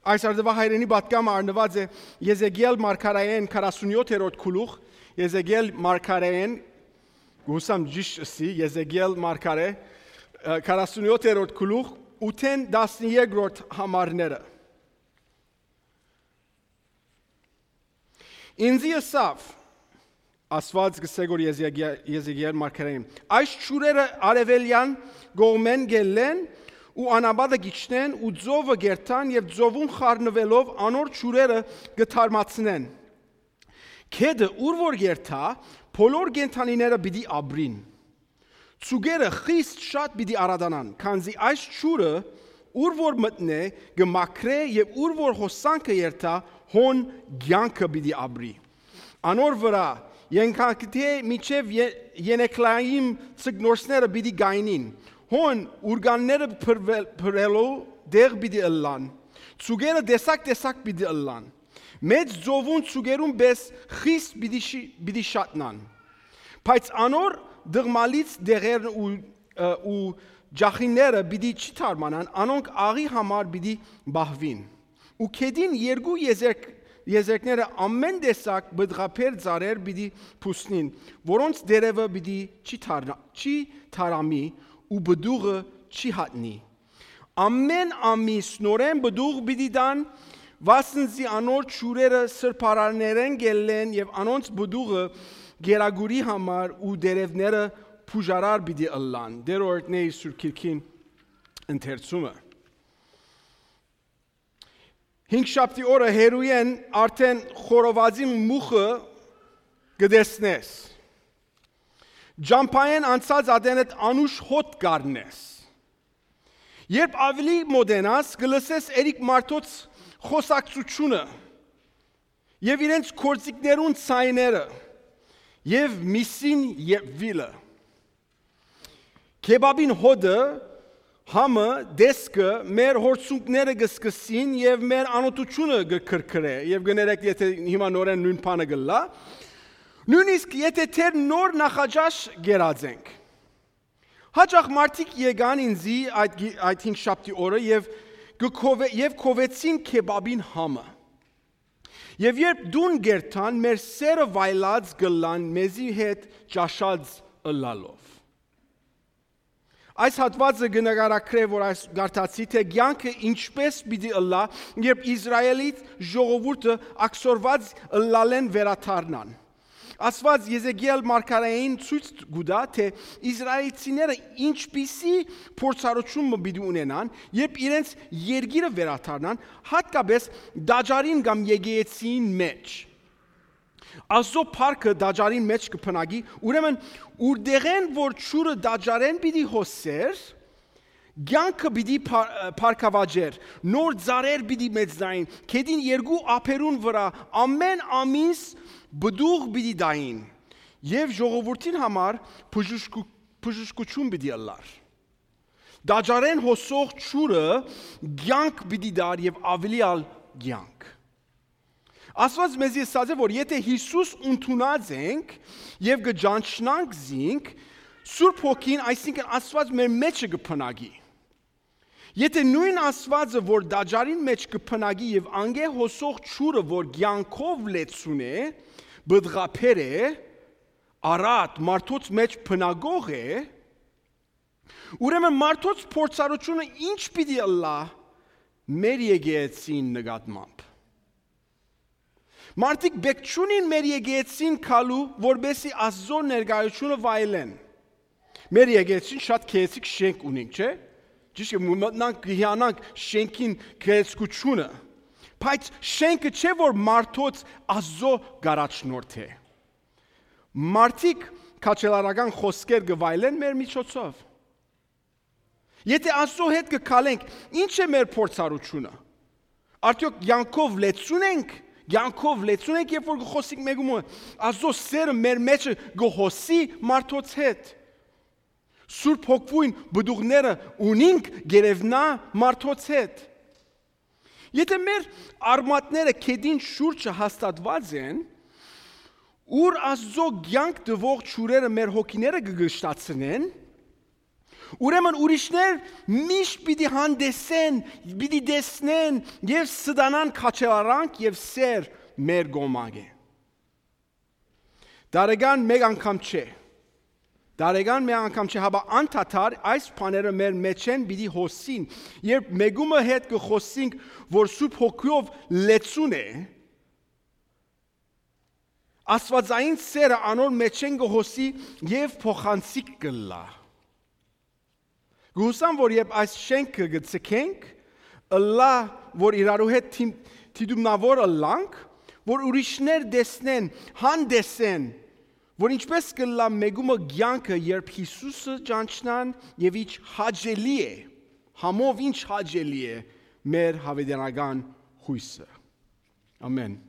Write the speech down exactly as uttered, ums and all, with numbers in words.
Այս արդվա հայրենի պատգամը առնված է Եզեկիել մարգարեին քառասունյոթերորդ գլուխ, Եզեկիել մարգարեին, գուսամ ճիշտի, Եզեկիել մարգարե քառասունյոթերորդ գլուխ, ութեն տասներորդ համարները։ Ինձ եսավ, ասված գսեգոր Եզեկիել մարգարեին, այս ճուրերը արևելյան գողմեն գելեն, ու անաբադը գիչնեն ու ձովը գերտան և ձովում խառնվելով անոր ճուրերը գթարմացնեն։ Քեդը ուր որ գերտա, բոլոր գենթանիները պիտի ապրին։ Ծուգերը խիստ շատ պիտի արադանան, քանզի այս ճուրը ուր որ մտնե գմաքրե և ուր որ հոսանքը երթա, հոն կյանքը պիտի ապրի։ Անոր վրա ենքանքթե միջև ենեքլայիմ ծգնորսները պիտի գայնին։ Հոն ուրգանները փրվելու դեղ պիտի ըլլան, ծուգերը դեսակ-դեսակ պիտի ըլլան, մեծ ձովուն ծուգերուն պես խիստ պիտի շատնան, բայց անոր դղմալից դեղերն ու ջախինները պիտի չի թարմանան, անոնք աղի համար պիտի բահվին, ու քեդին երկու եզերքները ամեն դեսակ բդղապեր ծարեր պիտի պուսնին, որոնց դերևը պիտի չի թարամի, ու բդուղը չի հատնի։ Ամեն ամիս նորեն բդուղ պիտի դան, վասնզի անոր ճուրերը սրբարարներեն գելեն և անոնց բդուղը գերագուրի համար ու դերևները փուժարար պիտի ըլլան։ Դերորդների Սուրբ Գիրքին ընթերցումը։ Հինգշաբթի օրը հերույեն արդեն խորովածի մուխը գտեսնես։ Ջամփային անցած ադենդ անուշ հոտ գարնես։ Երբ ավելի մոդենաս գլսես երիկ մարդոց խոսակցությունը և իրենց կործիկներուն ցայները և միսին և վիլը։ Քեբաբին հոդը համը դեսկը մեր հորցունքները գսկսին և մեր անոտությունը գքրքրե և գներեք եթե հիմա նորեն նույն բանը գլա նույնիսկ եթե թեր նոր նախաճաշ գերածենք։ Հաճախ մարդիկ եկան ինձի այդ հինգշաբթի օրը և քովեցին քեբաբին համը։ Եվ երբ դուն գերտան, մեր սերը վայլած գլան մեզի հետ ճաշած ըլլալով։ Այս հատվածը գնահատագրե, որ այս գարտացի, թե կյանքը ինչպես պիտի ըլլա, երբ Իսրայելից ժողովուրդը աքսորված ըլլալեն վերաթարնան։ Ասված Եզեկիել մարգարեին ցույց գուտա, թե իսրայելցիները ինչպիսի փորձառություն պիտի ունենան, երբ իրենց երկիրը վերաթարնան, հատկապես դաջարին կամ եկեղեցին մեջ։ Աստծո փառքը դաջարին մեջ կփնագի, ուրեմն ուրդեղեն որ ճուրը դաջարեն պիտի հոսեր, կյանքը պիտի փառքավաճեր, նոր ծառեր պիտի մեծնային, քեդին երկու ափերուն վրա ամեն ամիս բդուղ պիտի դային և ժողովրդին համար բժշկություն պիտի ըլլար։ Դաջարեն հոսող ճուրը կյանք պիտի դար և ավելի ալ կյանք։ Աստված մեզ ասաց է, որ եթե Հիսուս ընդունած ենք և կճանչնանք զինք, Սուրբ Հոգին, այսինքն Աստված մեր մեջը կփնագի։ Եթե նույն Աստվածը, որ դաջարին մեջ կփնագի և անգե հոսող ճուրը, որ կյանքով լեցուն է, բդղապեր է, առատ մարդոց մեջ փնագող է, ուրեմն մարդոց փորձառությունը ինչ պիտի ըլլա մեր եկեղեցին նկատմամբ։ Մարդիկ բեք չունին մեր եկեղեցին քալու, որբեսի Աստծո ներկայությունը վայելեն։ Մեր եկեղեցին շատ քեեցիկ շենք ունենք, չէ՞։ Ճիշտ է, մտնանք հիանանք շենքին քեեցկությունը, բայց շենքը չէ որ մարդոց Աստծո գարաչնորդ է։ Մարդիկ քաչելարական խոսքեր գվայելեն մեր միջոցով։ Եթե Աստծո հետ կքալենք, ինչ է մեր փորձառությունը։ Արդյոք յանքով լեցուն ենք, յանքով լեցուն ենք, երբ որ գխոսիկ մեկում Աստծո սերը մեր մեջը գհոսի մարդոց հետ։ Սուրբ Հոգվույն բդուղները ունինք գերևնա մարդոց հետ։ Եթե մեր արմատները քեդին շուրջը հաստատված են, ուր Աստծո կյանք տվող ճուրերը մեր հոգիները կգշտացնեն, Ուրեմն ուրիշներ միշտ պիտի հանդեսեն, պիտի տեսնեն եւ ստանան քաչելարանք եւ սեր մեր գոմագ է։ Դարեգան մեկ անգամ չէ։ Դարեգան մեկ անգամ չէ, հաբա անդադար այս բաները մեր մեջ են պիտի հոսին։ Երբ մեգումը հետ կխոսենք, որ Սուրբ Հոգով լեցուն է, Աստվածային սերը անոր մեջ են կհոսի եւ փոխանցիկ կլա։ Գուսամ, որ երբ այս շենքը գցենք, ըլլա, որ իրարու հետ թիդումնավոր ըլլանք, որ ուրիշներ դեսնեն, հանդեսեն, որ ինչպես կլա մեգումը գյանքը, երբ Հիսուսը ճանչնան եւ ինչ հաճելի է, համով ինչ հաճելի է մեր հավիտենական հույսը։ Ամեն։